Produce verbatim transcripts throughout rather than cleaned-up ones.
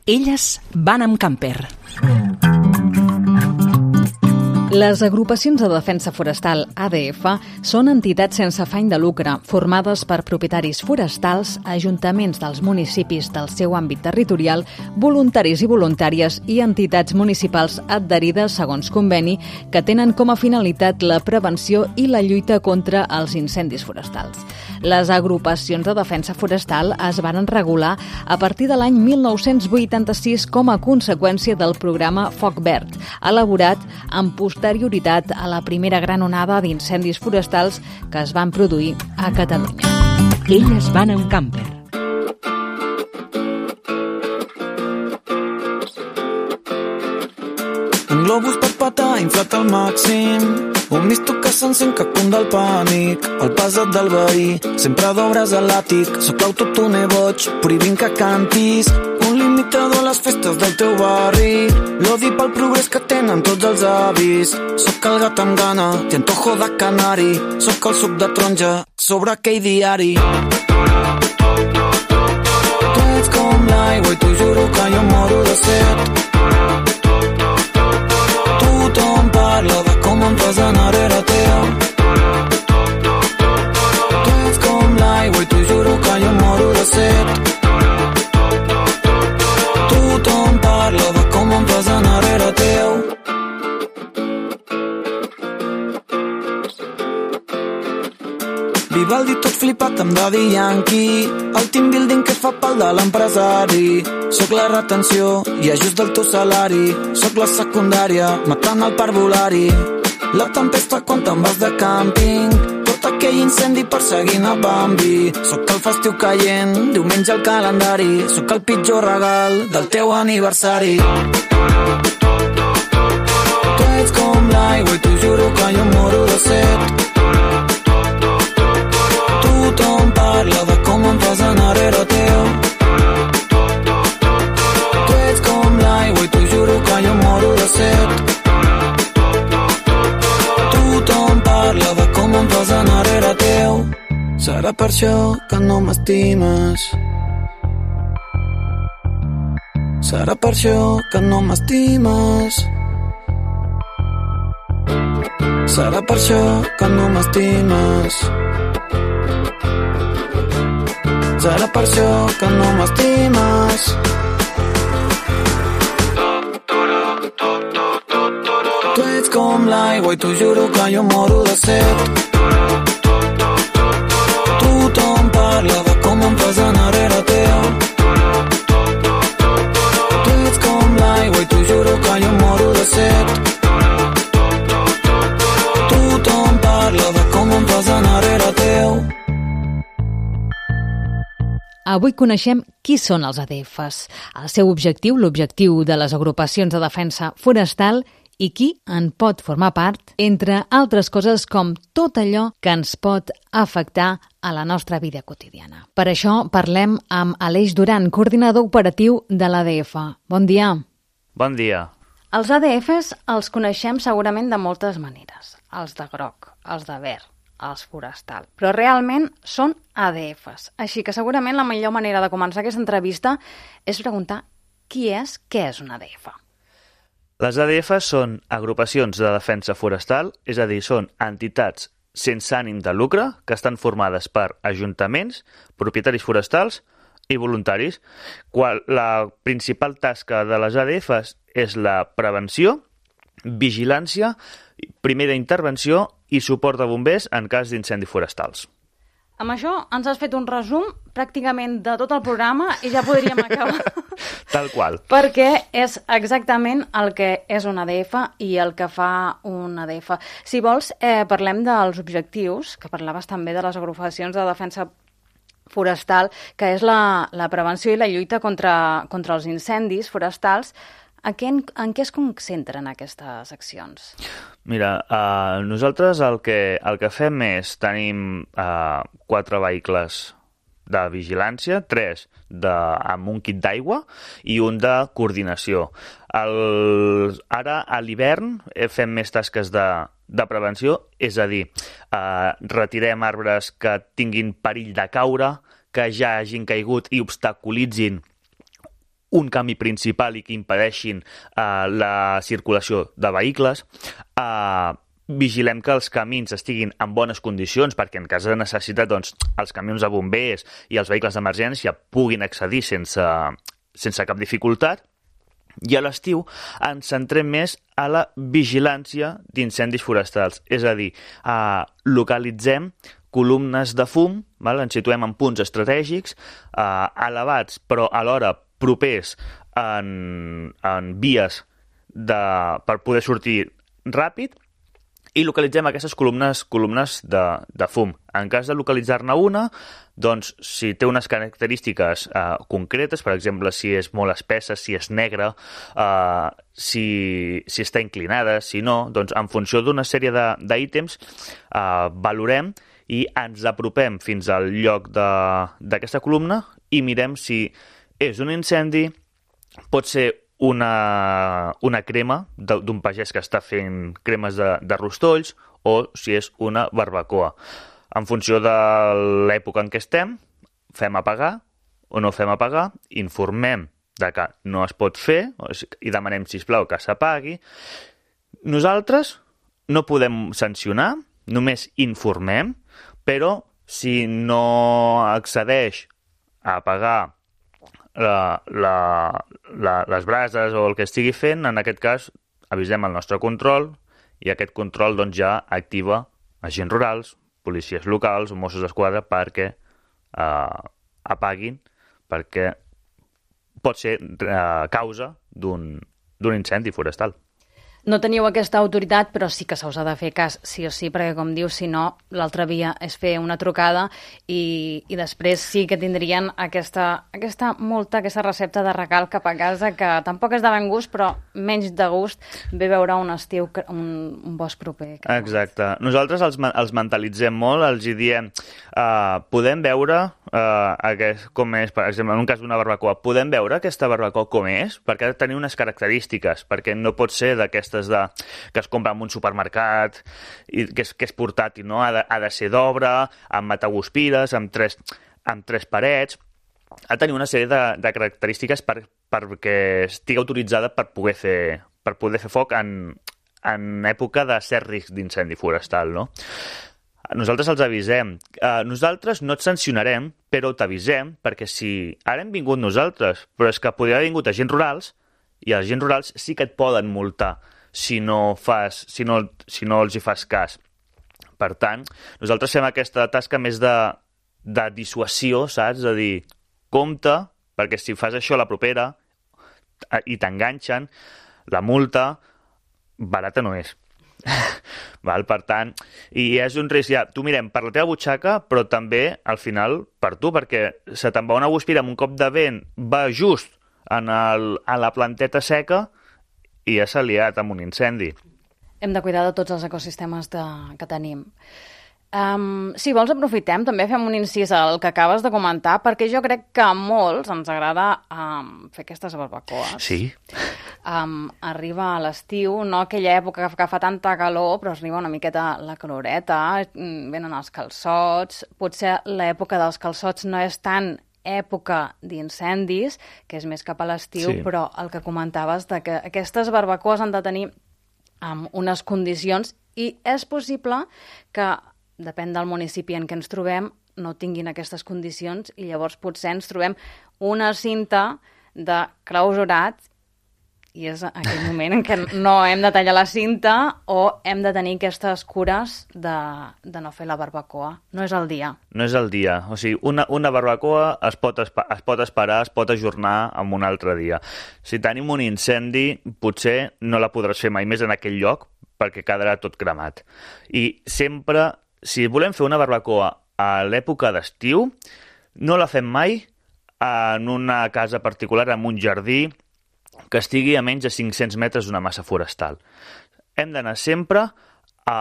Elles van amb camper. Les agrupacions de defensa forestal A D F són entitats sense afany de lucre, formades per propietaris forestals, ajuntaments dels municipis del seu àmbit territorial, voluntaris i voluntàries i entitats municipals adherides segons conveni que tenen com a finalitat la prevenció i la lluita contra els incendis forestals. Les agrupacions de defensa forestal es van regular a partir de l'any mil nou-cents vuitanta-sis com a conseqüència del programa Foc Verd, elaborat amb posterioritat a la primera gran onada d'incendis forestals que es van produir a Catalunya. Elles van amb camper. Un globus per patar inflat al màxim, un misto que s'encén que cun del pànic, el pasat del veí, sempre d'obres a l'àtic, sóc l'autotuner boig, prohibint que cantis, un limitador a les festes del teu barri, l'odi pel progrés que tenen tots els avis, sóc el gat amb gana, i antojo de canari, sóc el suc de taronja sobre aquell diari. Tu ets com l'aigua i t'ho juro que jo moro de set. Tothom parla de com em fas anar era teu. Tu ets com l'aigua i t'ho juro que jo moro de set. Tothom parla de com em fas anar era teu. Vivaldi tot flipat amb Daddy Yankee, el team building que fa pal de l'empresari. Soc la retenció i ajust del teu salari, soc la secundària matant el parvulari. La tempesta quan te'n vas de càmping, tot aquell incendi perseguint a Bambi. Soc el festiu caient, diumenge al calendari, soc el pitjor regal del teu aniversari. Tu ets com l'aigua i t'ho juro que jo moro de set. Tothom parla de com em fas anar era teu. Tu ets com l'aigua i t'ho juro que jo moro de set. Tothom parla de com em fas anar era teu. Serà per això que no m'estimes. Serà per això que no m'estimes. Serà per això que no m'estimes. Serà per això que no m'estimes. Tu ets com l'aigua i t'ho juro que jo moro de set. Tothom parla de com em fas anar era teu. Tu ets com l'aigua i t'ho juro que jo moro de set. Tothom parla de com em fas anar era teu. Avui coneixem qui són els A D Fs, el seu objectiu, l'objectiu de les agrupacions de defensa forestal i qui en pot formar part, entre altres coses com tot allò que ens pot afectar a la nostra vida quotidiana. Per això parlem amb Aleix Duran, coordinador operatiu de l'A D F. Bon dia. Bon dia. Els A D Fs els coneixem segurament de moltes maneres. Els de groc, els de verd, els forestal, però realment són A D Fs. Així que segurament la millor manera de començar aquesta entrevista és preguntar qui és, què és un A D F. Les A D Fs són agrupacions de defensa forestal, és a dir, són entitats sense ànim de lucre que estan formades per ajuntaments, propietaris forestals i voluntaris. Qual, la principal tasca de les A D Fs és la prevenció, vigilància, primera intervenció i suport de bombers en cas d'incendis forestals. Amb això ens has fet un resum pràcticament de tot el programa i ja podríem acabar. Tal qual. Perquè és exactament el que és un A D F i el que fa un A D F. Si vols, eh, parlem dels objectius, que parlaves també de les agrupacions de defensa forestal, que és la, la prevenció i la lluita contra, contra els incendis forestals. En què, en què es concentren aquestes accions? Mira, uh, nosaltres el que, el que fem és, tenim uh, quatre vehicles de vigilància, tres de, amb un kit d'aigua i un de coordinació. El, ara, a l'hivern, fem més tasques de, de prevenció, és a dir, uh, retirem arbres que tinguin perill de caure, que ja hagin caigut i obstaculitzin un camí principal i que impedeixin uh, la circulació de vehicles. Uh, vigilem que els camins estiguin en bones condicions perquè en cas de necessitat doncs, els camions de bombers i els vehicles d'emergència puguin accedir sense, sense cap dificultat. I a l'estiu ens centrem més a la vigilància d'incendis forestals, és a dir, uh, localitzem columnes de fum, val? Ens situem en punts estratègics, eh, elevats, però alhora propers en, en vies de, per poder sortir ràpid, i localitzem aquestes columnes, columnes de, de fum. En cas de localitzar-ne una, doncs, si té unes característiques eh, concretes, per exemple, si és molt espessa, si és negra, eh, si, si està inclinada, si no, doncs, en funció d'una sèrie d'ítems, eh, valorem i ens apropem fins al lloc d'aquesta columna i mirem si és un incendi, pot ser una, una crema d'un pagès que està fent cremes de, de rostolls o si és una barbacoa. En funció de l'època en què estem, fem apagar o no fem apagar, informem de que no es pot fer i demanem, sisplau, que s'apagui. Nosaltres no podem sancionar, només informem, però si no accedeix a apagar la, la, la, les brases o el que estigui fent, en aquest cas avisem el nostre control i aquest control doncs, ja activa agents rurals, policies locals o Mossos d'Esquadra perquè eh, apaguin, perquè pot ser eh, causa d'un d'un incendi forestal. No teniu aquesta autoritat, però sí que se us ha de fer cas, sí o sí, perquè, com dius, si no, l'altra via és fer una trucada i, i després sí que tindrien aquesta, aquesta multa, aquesta recepta de regal cap a casa, que tampoc és de ben gust, però menys de gust ve veure un estiu, un, un bosc proper. Exacte. Nosaltres els, els mentalitzem molt, els hi diem, uh, podem veure uh, aquest, com és, per exemple, en un cas d'una barbacoa, podem veure aquesta barbacoa com és? Perquè ha de tenir unes característiques, perquè no pot ser d'aquestes de, que es compra en un supermercat i que és, que és portàtil, no? Ha de, ha de ser d'obra, amb mataguspires, amb tres, amb tres parets. Ha de tenir una sèrie de, de característiques per, perquè estigui autoritzada per poder fer, per poder fer foc en, en època de cert risc d'incendi forestal, no? Nosaltres els avisem. Uh, nosaltres no et sancionarem, però t'avisem, perquè si ara hem vingut nosaltres, però és que podria haver vingut agents rurals, i els agents rurals sí que et poden multar si no, fas, si no, si no els hi fas cas. Per tant, nosaltres fem aquesta tasca més de, de dissuasió, saps? De dir, compte, perquè si fas això a la propera i t'enganxen, la multa barata no és. Val? Per tant, i és un risc ja, tu mirem per la teva butxaca, però també al final per tu, perquè se te'n va una guspira amb un cop de vent, va just en, el, en la planteta seca i ja s'ha liat amb un incendi. Hem de cuidar de tots els ecosistemes de, que tenim. Um, si vols aprofitem, també fem un incís al que acabes de comentar, perquè jo crec que a molts ens agrada um, fer aquestes barbacoes. Sí. Um, arriba a l'estiu, no aquella època que fa tanta calor, però arriba una miqueta la caloreta, venen els calçots, potser l'època dels calçots no és tan època d'incendis, que és més cap a l'estiu, sí. Però el que comentaves de que aquestes barbacoes han de tenir um, unes condicions i és possible que, depèn del municipi en què ens trobem, no tinguin aquestes condicions i llavors potser ens trobem una cinta de clausurat i és aquell moment en què no hem de tallar la cinta o hem de tenir aquestes cures de, de no fer la barbacoa. No és el dia. No és el dia. O sigui, una, una barbacoa es pot, es pot esperar, es pot ajornar en un altre dia. Si tenim un incendi, potser no la podràs fer mai més en aquell lloc perquè quedarà tot cremat. I sempre, si volem fer una barbacoa a l'època d'estiu, no la fem mai en una casa particular, en un jardí, que estigui a menys de cinc-cents metres d'una massa forestal. Hem d'anar sempre a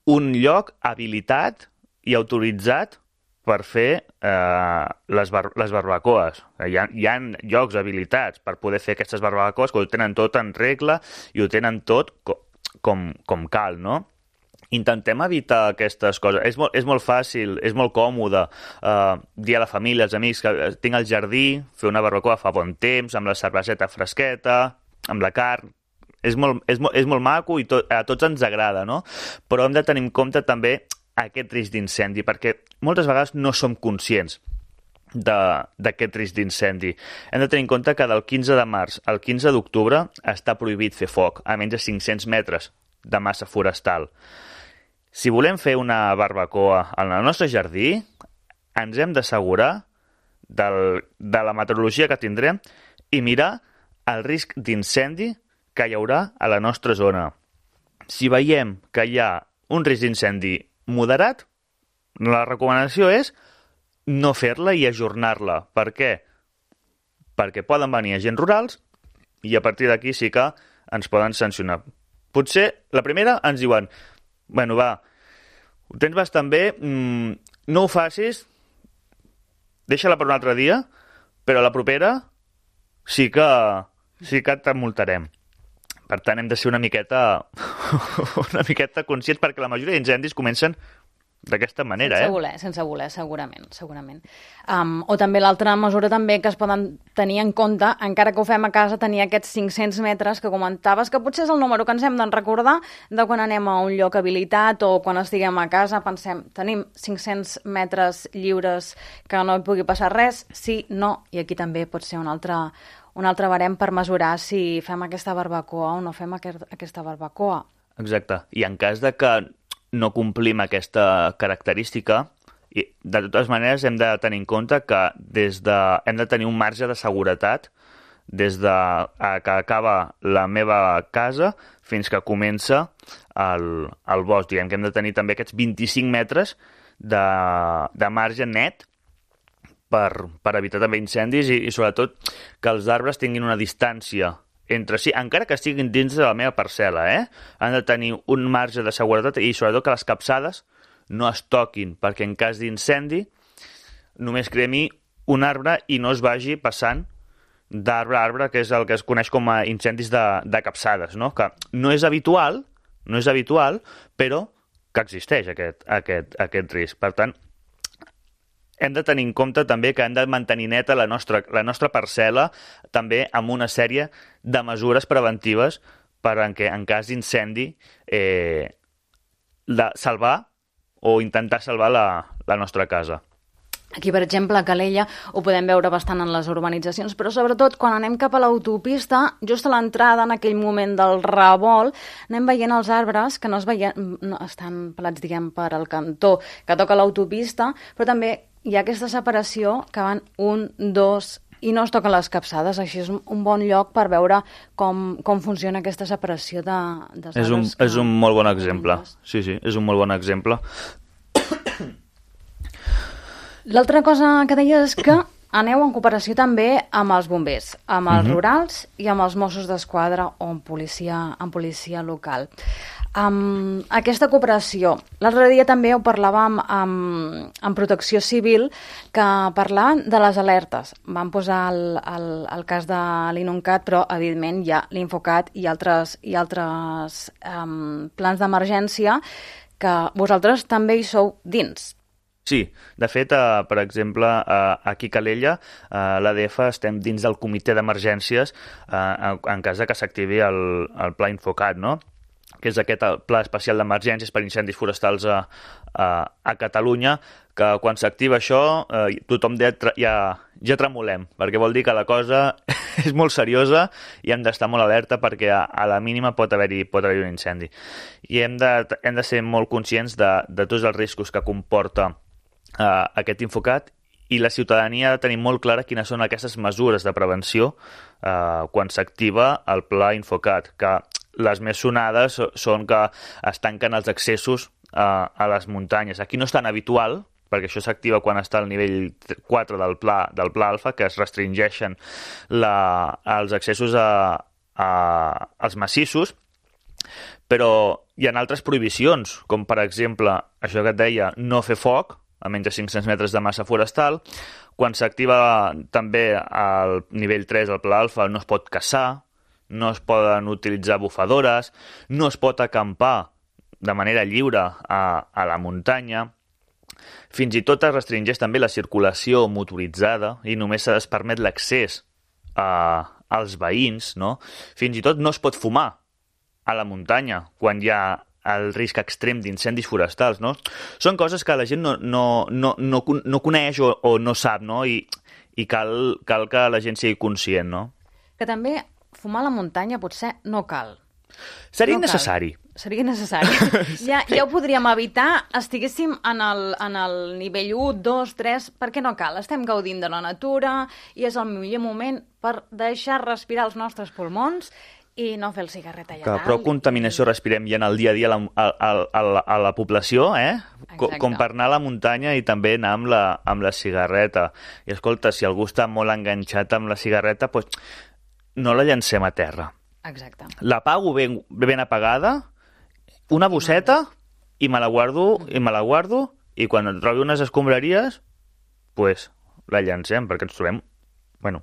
un lloc habilitat i autoritzat per fer eh, les, bar les barbacoes. Hi ha, hi ha llocs habilitats per poder fer aquestes barbacoes que ho tenen tot en regla i ho tenen tot co com, com cal, no? intentem evitar aquestes coses. És molt, és molt fàcil, és molt còmode uh, dir a la família, als amics, que tinc al jardí, fer una barbacoa fa bon temps, amb la cerveseta fresqueta, amb la carn. És molt, és molt, és molt maco i to, a tots ens agrada, no? Però hem de tenir en compte també aquest risc d'incendi, perquè moltes vegades no som conscients d'aquest risc d'incendi. Hem de tenir en compte que del quinze de març al quinze d'octubre està prohibit fer foc a menys de cinc-cents metres de massa forestal. Si volem fer una barbacoa en el nostre jardí, ens hem d'assegurar del, de la meteorologia que tindrem i mirar el risc d'incendi que hi haurà a la nostra zona. Si veiem que hi ha un risc d'incendi moderat, la recomanació és no fer-la i ajornar-la. Per què? Perquè poden venir agents rurals i a partir d'aquí sí que ens poden sancionar. Potser, la primera, ens diuen bueno, va, ho tens bastant bé, mmm, no ho facis, deixa-la per un altre dia, però a la propera sí que, sí que t'emultarem. Per tant, hem de ser una miqueta, una miqueta conscients perquè la majoria d'incendis comencen d'aquesta manera, sense eh? voler, sense voler, segurament, segurament. Um, o també l'altra mesura també que es poden tenir en compte, encara que ho fem a casa, tenir aquests cinc-cents metres que comentaves, que potser és el número que ens hem de recordar de quan anem a un lloc habilitat o quan estiguem a casa, pensem, tenim cinc-cents metres lliures que no hi pugui passar res, sí, no, i aquí també pot ser un altre, un altre barem per mesurar si fem aquesta barbacoa o no fem aquest, aquesta barbacoa. Exacte, i en cas de que no complim aquesta característica, i de totes maneres hem de tenir en compte que des de, hem de tenir un marge de seguretat des de que acaba la meva casa fins que comença el, el bosc. Diguem que hem de tenir també aquests vint-i-cinc metres de, de marge net per, per evitar també incendis i, i sobretot que els arbres tinguin una distància entre si, encara que estiguin dins de la meva parcel·la, eh? Han de tenir un marge de seguretat i sobretot que les capçades no es toquin, perquè en cas d'incendi només cremi un arbre i no es vagi passant d'arbre a arbre, que és el que es coneix com a incendis de, de capçades, no? Que no és habitual, no és habitual, però que existeix aquest, aquest, aquest risc. Per tant, hem de tenir en compte també que hem de mantenir neta la nostra, la nostra parcel·la també amb una sèrie de mesures preventives per en què en cas d'incendi eh, la, salvar o intentar salvar la, la nostra casa. Aquí, per exemple, a Calella ho podem veure bastant en les urbanitzacions, però sobretot quan anem cap a l'autopista, just a l'entrada, en aquell moment del revolt, anem veient els arbres que no es veien, no, estan pelats, diguem, per al cantó que toca l'autopista, però també hi ha aquesta separació que van un, dos i no es toquen les capçades. Així és un bon lloc per veure com, com funciona aquesta separació de, de és un, que... és un molt bon exemple. Sí, sí, és un molt bon exemple. L'altra cosa que deia és que aneu en cooperació també amb els bombers, amb els uh-huh. rurals i amb els Mossos d'Esquadra o amb policia, amb policia local. Um, aquesta cooperació, l'altre dia també ho parlàvem amb, amb Protecció Civil, que parlaven de les alertes. Van posar el, el, el cas de l'Inuncat, però evidentment hi ha l'Infocat i altres, i altres um, plans d'emergència que vosaltres també hi sou dins. Sí, de fet, eh, per exemple, eh, aquí a Calella, eh, l'A D F estem dins del comitè d'emergències eh, en, en cas de que s'activi el, el Pla Infocat, no? Que és aquest pla especial d'emergències per incendis forestals a, a, a Catalunya, que quan s'activa això eh, tothom ja, ja, ja tremolem, perquè vol dir que la cosa és molt seriosa i hem d'estar molt alerta perquè a, a la mínima pot haver-hi pot haver un incendi. I hem de, hem de ser molt conscients de, de tots els riscos que comporta eh, aquest Infocat, i la ciutadania ha de tenir molt clara quines són aquestes mesures de prevenció eh, quan s'activa el Pla Infocat, que les més sonades són que es tanquen els accessos a, a les muntanyes. Aquí no és tan habitual, perquè això s'activa quan està al nivell quatre del pla, del pla alfa, que es restringeixen la, els accessos a, a, als massissos, però hi ha altres prohibicions, com per exemple, això que et deia, no fer foc a menys de cinc-cents metres de massa forestal. Quan s'activa també al nivell tres del pla alfa no es pot caçar, no es poden utilitzar bufadores, no es pot acampar de manera lliure a, a la muntanya. Fins i tot es restringeix també la circulació motoritzada i només es permet l'accés a, als veïns, no? Fins i tot no es pot fumar a la muntanya quan hi ha el risc extrem d'incendis forestals, no? Són coses que la gent no, no, no, no, no coneix o, o no sap, no? I, i cal, cal que la gent sigui conscient, no? Que també fumar a la muntanya potser no cal. Seria no innecessari. Cal. Seria necessari. Ja, ja ho podríem evitar, estiguéssim en el, en el nivell u, dos, tres, perquè no cal. Estem gaudint de la natura i és el millor moment per deixar respirar els nostres pulmons i no fer el cigarret allà que dalt. Però contaminació respirem ja en el dia a dia a la, a, a, a, a la població, eh? Com, com per anar a la muntanya i també anar amb la, amb la cigarreta. I escolta, si algú està molt enganxat amb la cigarreta, doncs no la llancem a terra. Exacte. L'apago ben, ben apagada, una bosseta, i me la guardo, i me la guardo, i quan trobi unes escombraries, pues, la llancem, perquè ens trobem... Bueno,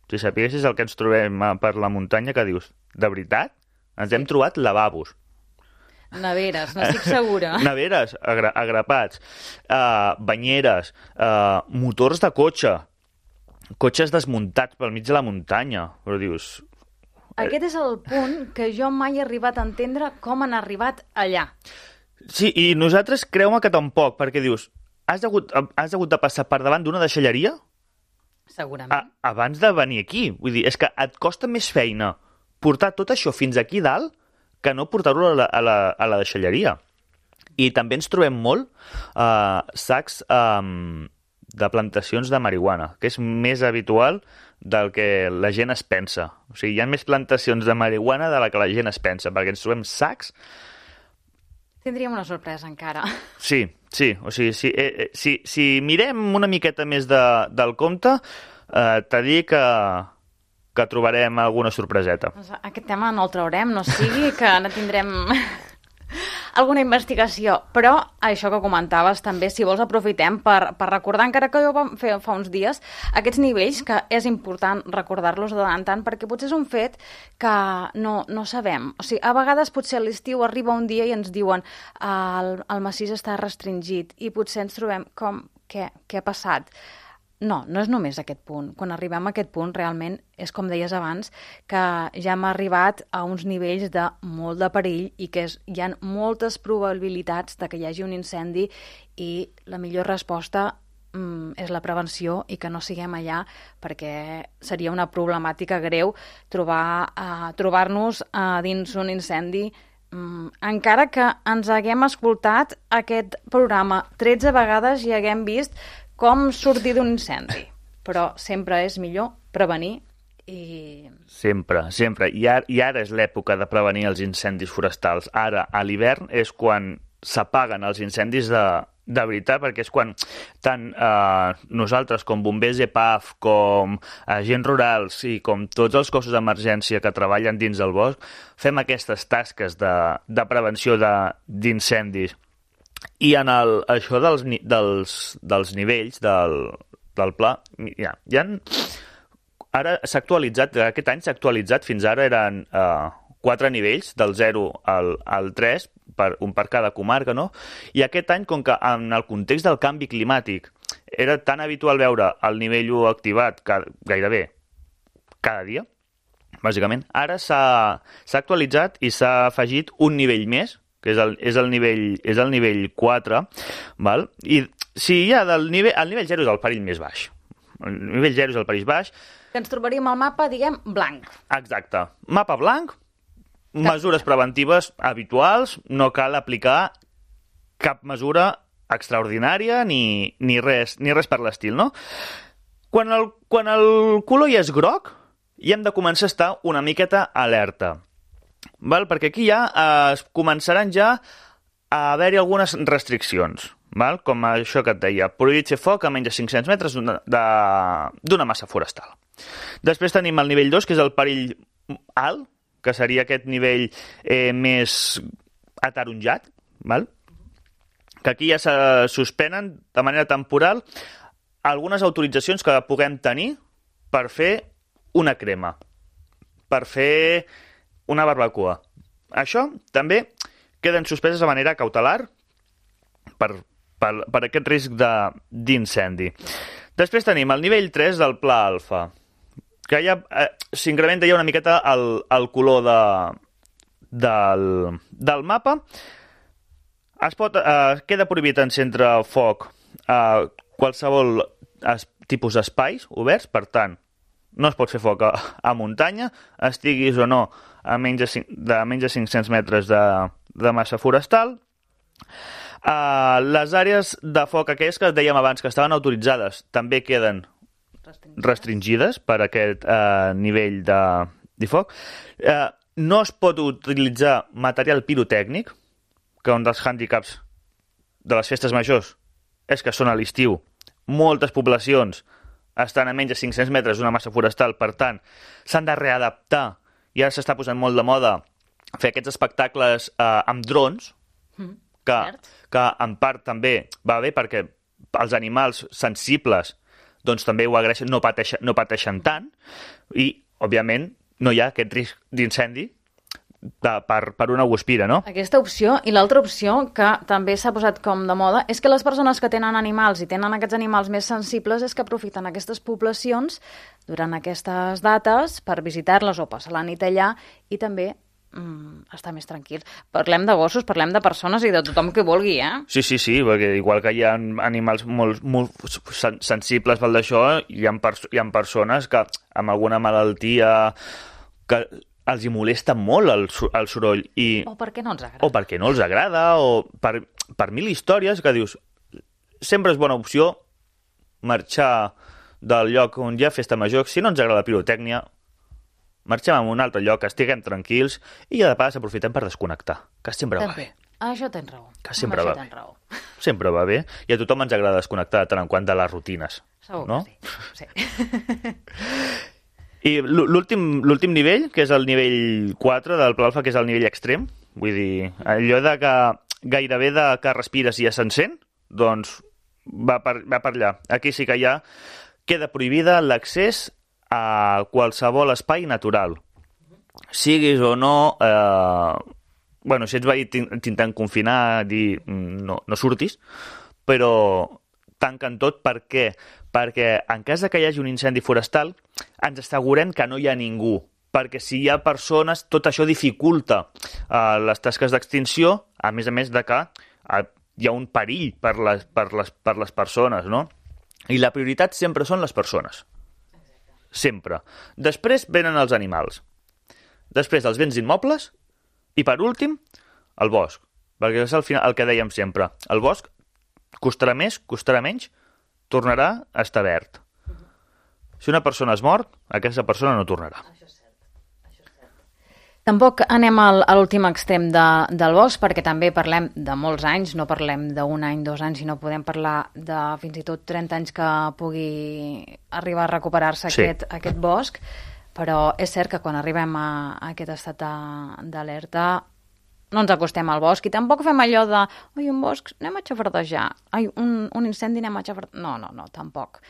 si sapiguessis el que ens trobem per la muntanya, que dius, de veritat? Ens hem trobat lavabos. Neveres, n'estic segura. Neveres, agra agrapats, uh, banyeres, uh, motors de cotxe, cotxes desmuntats pel mig de la muntanya. Però dius... Aquest és el punt que jo mai he arribat a entendre com han arribat allà. Sí, i nosaltres creu-me que tampoc, perquè dius, has hagut, has hagut de passar per davant d'una deixalleria? Segurament. A, abans de venir aquí. Vull dir, és que et costa més feina portar tot això fins aquí dalt que no portar-ho a, la, a, la, a la deixalleria. I també ens trobem molt uh, sacs um, de plantacions de marihuana, que és més habitual del que la gent es pensa. O sigui, hi ha més plantacions de marihuana de la que la gent es pensa, perquè ens trobem sacs... Tindríem una sorpresa encara. Sí, sí. O sigui, si, eh, si, si mirem una miqueta més de, del compte, eh, t'ha dit que, que trobarem alguna sorpreseta. Aquest tema no el traurem, no sigui que no tindrem... alguna investigació, però això que comentaves també, si vols aprofitem per, per recordar, encara que ho vam fer fa uns dies, aquests nivells que és important recordar-los de tant en tant, perquè potser és un fet que no, no sabem. O sigui, a vegades potser a l'estiu arriba un dia i ens diuen el, el massís està restringit i potser ens trobem com, què, què ha passat? No, no és només aquest punt. Quan arribem a aquest punt, realment, és com deies abans, que ja hem arribat a uns nivells de molt de perill i que és, hi ha moltes probabilitats de que hi hagi un incendi i la millor resposta mm, és la prevenció i que no siguem allà perquè seria una problemàtica greu trobar, uh, trobar-nos uh, dins un incendi mm, encara que ens haguem escoltat aquest programa tretze vegades i haguem vist com sortir d'un incendi. Però sempre és millor prevenir i... Sempre, sempre. I ara, i ara és l'època de prevenir els incendis forestals. Ara, a l'hivern, és quan s'apaguen els incendis de, de veritat, perquè és quan tant eh, nosaltres com bombers E P A F, com agents rurals i com tots els cossos d'emergència que treballen dins del bosc, fem aquestes tasques de, de prevenció d'incendis. I en el, això dels, dels, dels nivells del, del pla, ja, ja han, ara s'ha actualitzat, aquest any s'ha actualitzat, fins ara eren eh, quatre nivells, del zero al, al tres, per, un per cada comarca, no? I aquest any, com que en el context del canvi climàtic era tan habitual veure el nivell u activat cada, gairebé cada dia, bàsicament, ara s'ha actualitzat i s'ha afegit un nivell més, que és el, és el nivell és el nivell quatre, val? I si hi ha del nivell, el nivell zero és el perill més baix. El nivell zero és el perill baix. Que ens trobaríem al mapa, diguem, blanc. Exacte. Mapa blanc, cap... mesures preventives habituals, no cal aplicar cap mesura extraordinària ni, ni, res, ni res per l'estil, no? Quan el, quan el color ja és groc, ja hem de començar a estar una miqueta alerta. Val? Perquè aquí ja eh, començaran ja a haver-hi algunes restriccions, val? Com això que et deia, prohibit fer foc a menys de cinc-cents metres d'una massa forestal. Després tenim el nivell dos, que és el perill alt, que seria aquest nivell eh, més ataronjat, val? Que aquí ja se suspenen de manera temporal algunes autoritzacions que puguem tenir per fer una crema, per fer una barbacoa. Això també queden suspeses de manera cautelar per, per, per aquest risc d'incendi. Després tenim el nivell tres del pla alfa, que ja eh, s'incrementa ja una miqueta el, el color de, del, del mapa. Es pot, eh, queda prohibit encendre foc a eh, qualsevol es, tipus d'espais oberts, per tant, no es pot fer foc a, a muntanya, estiguis o no a menys de, cinc, de menys de cinc-cents metres de, de massa forestal. Uh, les àrees de foc aquelles que dèiem abans que estaven autoritzades també queden restringides, restringides per aquest uh, nivell de, de foc. Uh, no es pot utilitzar material pirotècnic, que un dels hàndicaps de les festes majors és que són a l'estiu. Moltes poblacions estan a menys de cinc-cents metres d'una massa forestal, per tant, s'han de readaptar, i ara s'està posant molt de moda fer aquests espectacles uh, amb drons, mm. Que, que en part també va bé perquè els animals sensibles doncs també ho agraeixen, no pateixen, no pateixen tant i, òbviament, no hi ha aquest risc d'incendi per, per una guspira, no? Aquesta opció i l'altra opció que també s'ha posat com de moda és que les persones que tenen animals i tenen aquests animals més sensibles és que aprofiten aquestes poblacions durant aquestes dates per visitar-les o passar la nit allà i també Mm, estar més tranquils. Parlem de gossos, parlem de persones i de tothom que vulgui, eh? Sí, sí, sí, perquè igual que hi ha animals molt, molt sensibles pel d'això, hi ha, pers hi ha persones que amb alguna malaltia que els hi molesta molt el, el soroll. I, o perquè no els agrada. O perquè no els agrada, o per, per mil històries que dius, sempre és bona opció marxar del lloc on hi ha festa major. Si no ens agrada la pirotècnia, marxem a un altre lloc, estiguem tranquils i ja de pas aprofitem per desconnectar, que sempre va bé. Això tens raó. Que sempre va bé. Raó. Sempre va bé. I a tothom ens agrada desconnectar de tant en quant de les rutines. Segur no? que sí. sí. I l'últim nivell, que és el nivell quatre del Pla Alfa, que és el nivell extrem, vull dir, allò de que gairebé de que respires i ja s'encén, doncs va per, va per allà. Aquí sí que ja queda prohibida l'accés a qualsevol espai natural. Siguis o no... Eh, bueno, si ets veí t'intent confinar, dir no, no surtis, però tanquen tot. Per què? Perquè en cas de que hi hagi un incendi forestal ens assegurem que no hi ha ningú. Perquè si hi ha persones, tot això dificulta eh, les tasques d'extinció, a més a més de que eh, hi ha un perill per les, per les, per les persones, no? I la prioritat sempre són les persones. Sempre. Després venen els animals. Després els béns immobles i, per últim, el bosc. Perquè és el, final, el que dèiem sempre. El bosc costarà més, costarà menys, tornarà a estar verd. Si una persona es mor, aquesta persona no tornarà. Això és cert. Això és cert. Tampoc anem al, a l'últim extrem de, del bosc, perquè també parlem de molts anys, no parlem d'un any, dos anys, sinó podem parlar de fins i tot trenta anys que pugui arribar a recuperar-se sí. aquest, aquest bosc, però és cert que quan arribem a, a aquest estat d'alerta no ens acostem al bosc i tampoc fem allò de oi, un bosc, anem a xafardejar, ai, un, un incendi, anem a xafardejar... No, no, no, tampoc.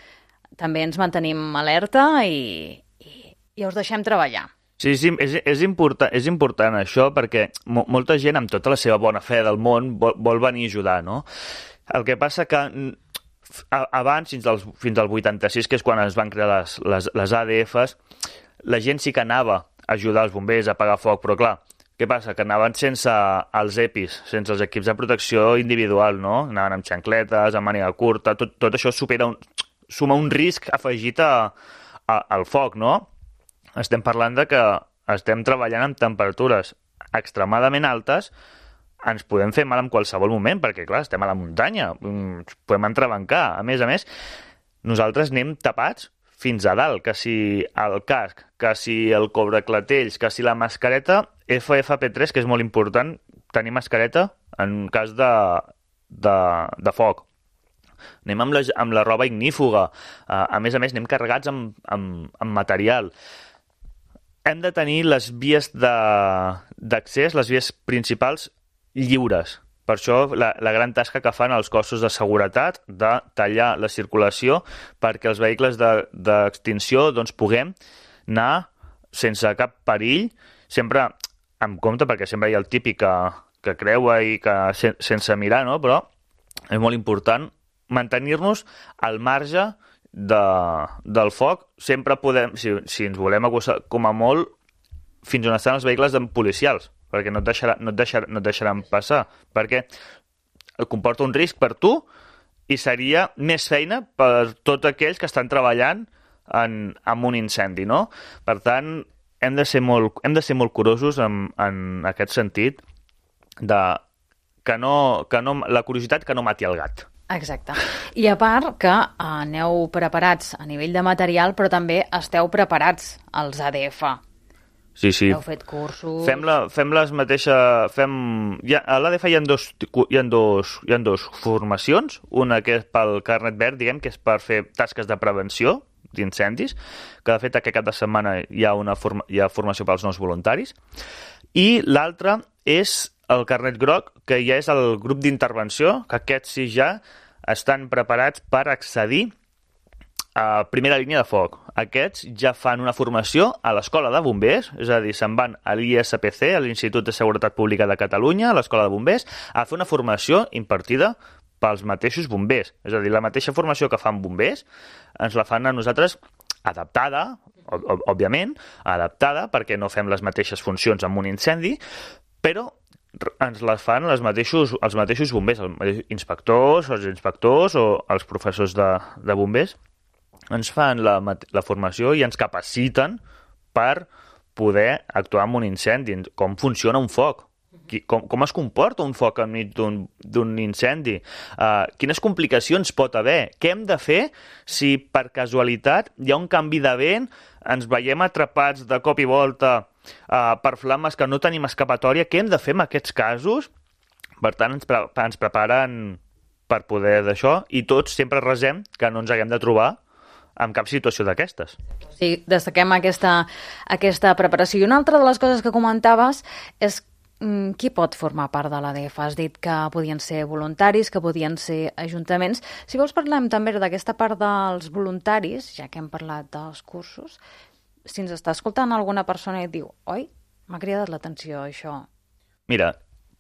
També ens mantenim alerta i, i, i us deixem treballar. Sí, sí, és, és, important, és important això perquè mo molta gent amb tota la seva bona fe del món vol, vol venir a ajudar, no? El que passa que abans, fins al, fins al vuitanta-sis, que és quan es van crear les, les, les A D Fs, la gent sí que anava a ajudar els bombers a apagar foc, però clar, què passa? Que anaven sense els EPIs, sense els equips de protecció individual, no? Anaven amb xancletes, amb màniga curta, tot, tot això supera un, suma un risc afegit a, a, al foc, no? Estem parlant de que estem treballant amb temperatures extremadament altes, ens podem fer mal en qualsevol moment, perquè, clar, estem a la muntanya, podem entrebancar. A més a més, nosaltres anem tapats fins a dalt, que si el casc, que si el cobreclatells, que si la mascareta, F F P tres, que és molt important, tenir mascareta en cas de, de, de foc. Anem amb la, amb la roba ignífuga, a més a més anem carregats amb, amb, amb material. Hem de tenir les vies d'accés, les vies principals, lliures. Per això la, la gran tasca que fan els cossos de seguretat de tallar la circulació perquè els vehicles d'extinció de, doncs, puguem anar sense cap perill, sempre amb compte, perquè sempre hi ha el típic que, que creua i que sen sense mirar, no? Però és molt important mantenir-nos al marge de, del foc. Sempre podem, si, si ens volem acostar com a molt, fins on estan els vehicles policials, perquè no et, deixarà, no, et deixarà, no et deixaran passar, perquè comporta un risc per tu i seria més feina per tots aquells que estan treballant en, en un incendi, no? Per tant, hem de ser molt, hem de ser molt curosos en, en aquest sentit de que no, que no, la curiositat que no mati el gat. Exacte. I a part que aneu preparats a nivell de material, però també esteu preparats als A D F. Sí, sí. Heu fet cursos... Fem, la, fem les mateixes... Fem... Ja, a l'A D F hi ha, dos, hi, ha dos, hi ha dos formacions. Una que és pel carnet verd, diguem, que és per fer tasques de prevenció d'incendis, que de fet aquest cap de setmana hi ha, una forma, hi ha formació pels nous voluntaris. I l'altra és el carnet groc, que ja és el grup d'intervenció, que aquests sí ja estan preparats per accedir a primera línia de foc. Aquests ja fan una formació a l'Escola de Bombers, és a dir, se'n van a l'I S P C, a l'Institut de Seguretat Pública de Catalunya, a l'Escola de Bombers, a fer una formació impartida pels mateixos bombers. És a dir, la mateixa formació que fan bombers ens la fan a nosaltres adaptada, òbviament, adaptada, perquè no fem les mateixes funcions amb un incendi, però ens les fan els mateixos, els mateixos bombers, els inspectors, els inspectors o els professors de, de bombers, ens fan la, la formació i ens capaciten per poder actuar en un incendi, com funciona un foc, com, com es comporta un foc enmig d'un incendi, uh, quines complicacions pot haver, què hem de fer si per casualitat hi ha un canvi de vent, ens veiem atrapats de cop i volta uh, per flames que no tenim escapatòria, què hem de fer en aquests casos? Per tant, ens, pre ens preparen per poder d'això i tots sempre resem que no ens haguem de trobar en cap situació d'aquestes. Sí, destaquem aquesta, aquesta preparació. I una altra de les coses que comentaves és mm, qui pot formar part de l'A D F. Has dit que podien ser voluntaris, que podien ser ajuntaments. Si vols parlem també d'aquesta part dels voluntaris, ja que hem parlat dels cursos, si ens està escoltant alguna persona i et diu oi, m'ha cridat l'atenció això. Mira,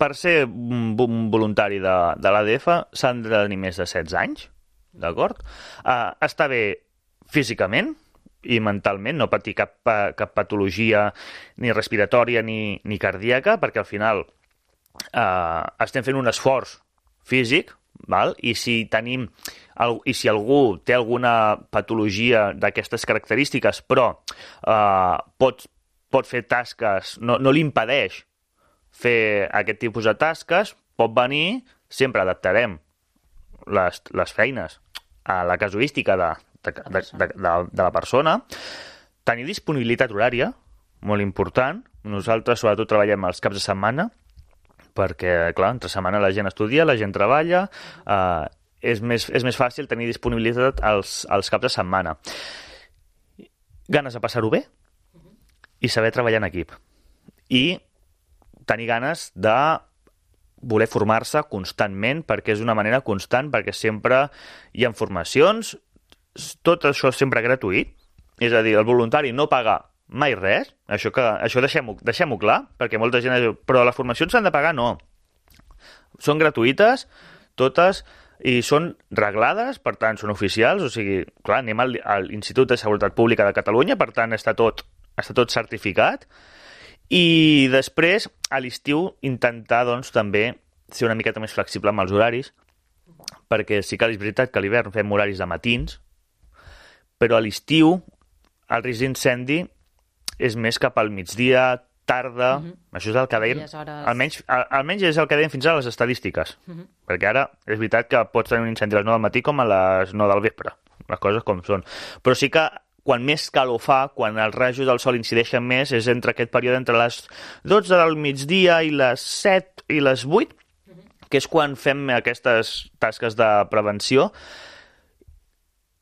per ser un voluntari de, de l'A D F s'han de tenir més de setze anys, d'acord? Uh, està bé físicament i mentalment, no patir cap, cap patologia ni respiratòria ni, ni cardíaca, perquè al final eh, estem fent un esforç físic, val? I si tenim i si algú té alguna patologia d'aquestes característiques, però eh, pot, pot fer tasques, no, no li impedeix fer aquest tipus de tasques, pot venir, sempre adaptarem les, les feines a la casuística de De, de, de, de la persona, tenir disponibilitat horària, molt important. Nosaltres sobretot treballem els caps de setmana, perquè, clar, entre setmana la gent estudia, la gent treballa, eh, és, més, és més fàcil tenir disponibilitat als, als caps de setmana. Ganes de passar-ho bé i saber treballar en equip. I tenir ganes de voler formar-se constantment, perquè és una manera constant, perquè sempre hi ha formacions. Tot això és sempre gratuït, és a dir, el voluntari no paga mai res, això, que, això deixem-ho deixem-ho clar, perquè molta gent diu, però les formacions s'han de pagar, no. Són gratuïtes, totes, i són reglades, per tant, són oficials, o sigui, clar, anem al, a l'Institut de Seguretat Pública de Catalunya, per tant, està tot, està tot certificat, i després, a l'estiu, intentar, doncs, també ser una miqueta més flexible amb els horaris, perquè sí que és veritat que a l'hivern fem horaris de matins, però a l'estiu el risc d'incendi és més cap al migdia, tarda, uh-huh. Això és el que deien, hores... almenys, almenys és el que deien fins ara les estadístiques, uh-huh. Perquè ara és veritat que pots tenir un incendi a les nou del matí com a les nou del vespre, les coses com són, però sí que quan més calor fa, quan els rajos del sol incideixen més, és entre aquest període entre les dotze del migdia i les set i les vuit, uh-huh. Que és quan fem aquestes tasques de prevenció.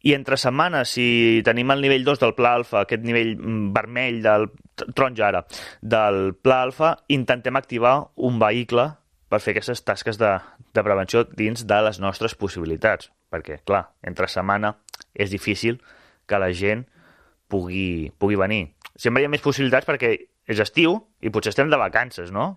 I entre setmanes, si tenim el nivell dos del Pla Alfa, aquest nivell vermell, del taronja ara, del Pla Alfa, intentem activar un vehicle per fer aquestes tasques de, de prevenció dins de les nostres possibilitats. Perquè, clar, entre setmana és difícil que la gent pugui, pugui venir. Sempre hi ha més possibilitats perquè és estiu i potser estem de vacances, no?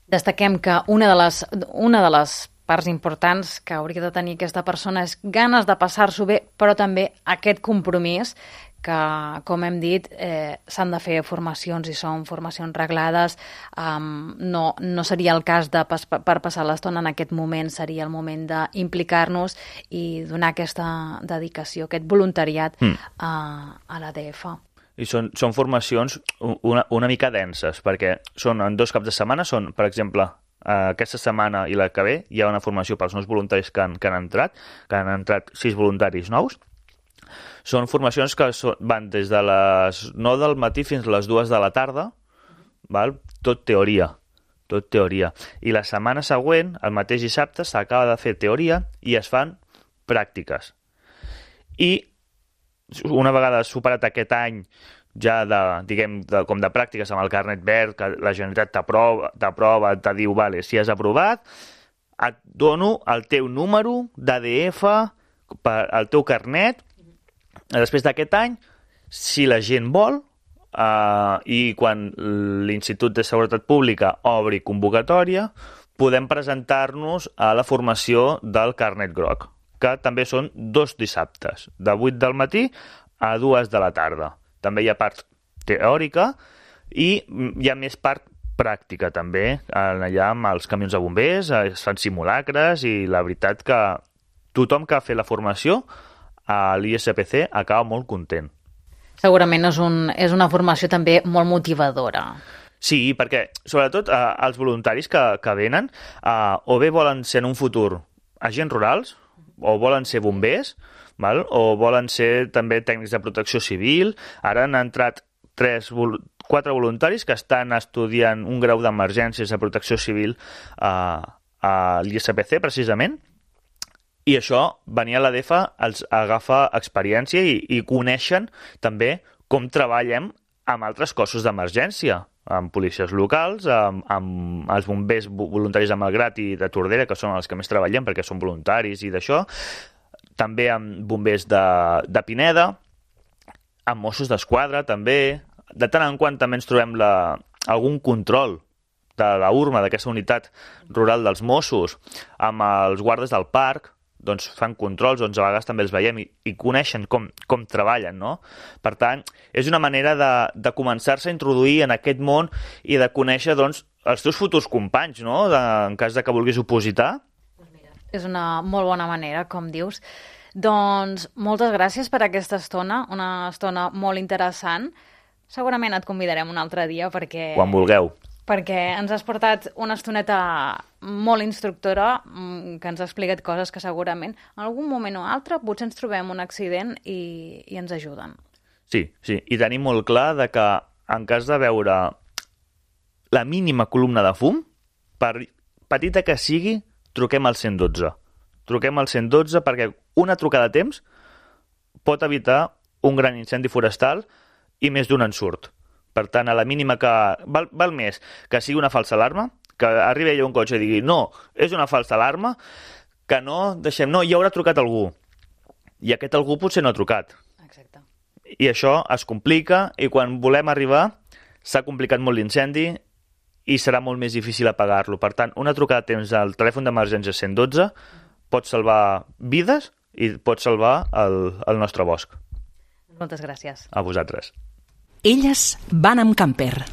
Destaquem que una de les, una de les parts importants que hauria de tenir aquesta persona és ganes de passar-s'ho bé, però també aquest compromís que, com hem dit, eh, s'han de fer formacions i són formacions reglades. Um, no, no seria el cas de pas, per passar l'estona en aquest moment, seria el moment d'implicar-nos i donar aquesta dedicació, aquest voluntariat mm. a, a l'A D F. I són, són formacions una, una mica denses, perquè són en dos caps de setmana, són, per exemple, aquesta setmana i la que ve hi ha una formació pels nous voluntaris que han, que han entrat, que han entrat sis voluntaris nous. Són formacions que són, van des de les nou del matí fins a les dues de la tarda, val? Tot teoria, tot teoria. I la setmana següent, el mateix dissabte, s'acaba de fer teoria i es fan pràctiques. I una vegada superat aquest any ja de, diguem, de, com de pràctiques amb el carnet verd, que la Generalitat t'aprova, t'aprova, te diu, vale, si has aprovat, et dono el teu número d'A D F, el teu carnet. Després d'aquest any, si la gent vol, eh, i quan l'Institut de Seguretat Pública obri convocatòria, podem presentar-nos a la formació del carnet groc, que també són dos dissabtes, de vuit del matí a dues de la tarda. També hi ha part teòrica i hi ha més part pràctica, també, allà amb els camions de bombers, es fan simulacres i la veritat que tothom que ha fet la formació a l'I S P C acaba molt content. Segurament és, un, és una formació també molt motivadora. Sí, perquè sobretot eh, els voluntaris que, que venen eh, o bé volen ser en un futur agents rurals, o volen ser bombers, val? O volen ser també tècnics de protecció civil. Ara han entrat tres, quatre voluntaris que estan estudiant un grau d'emergències de protecció civil eh, a l'I S P C, precisament. I això, venir a l'A D F els agafa experiència i, i coneixen també com treballem amb altres cossos d'emergència, amb policies locals, amb, amb els bombers voluntaris de Malgrat i de Tordera, que són els que més treballem perquè són voluntaris i d'això, també amb bombers de, de Pineda, amb Mossos d'Esquadra també. De tant en quant també ens trobem la, algun control de la U R M A, d'aquesta unitat rural dels Mossos, amb els guardes del parc, doncs fan controls, doncs a vegades també els veiem i, i coneixen com, com treballen, no? Per tant, és una manera de, de començar-se a introduir en aquest món i de conèixer, doncs, els teus futurs companys, no? De, en cas de que vulguis opositar. Pues mira, és una molt bona manera, com dius. Doncs moltes gràcies per aquesta estona, una estona molt interessant. Segurament et convidarem un altre dia perquè... Quan vulgueu. Perquè ens has portat una estoneta molt instructora que ens ha explicat coses que segurament en algun moment o altre potser ens trobem un accident i, i ens ajuden. Sí, sí, i tenim molt clar de que en cas de veure la mínima columna de fum, per petita que sigui, truquem al cent dotze. Truquem al cent dotze perquè una trucada a temps pot evitar un gran incendi forestal i més d'un ensurt. Per tant, a la mínima que... Val, val més que sigui una falsa alarma, que arribi allà un cotxe i digui no, és una falsa alarma, que no deixem... No, hi haurà trucat algú. I aquest algú potser no ha trucat. Exacte. I això es complica i quan volem arribar s'ha complicat molt l'incendi i serà molt més difícil apagar-lo. Per tant, una trucada a temps al telèfon d'emergència cent dotze pot salvar vides i pot salvar el, el nostre bosc. Moltes gràcies. A vosaltres. Elles van amb camper.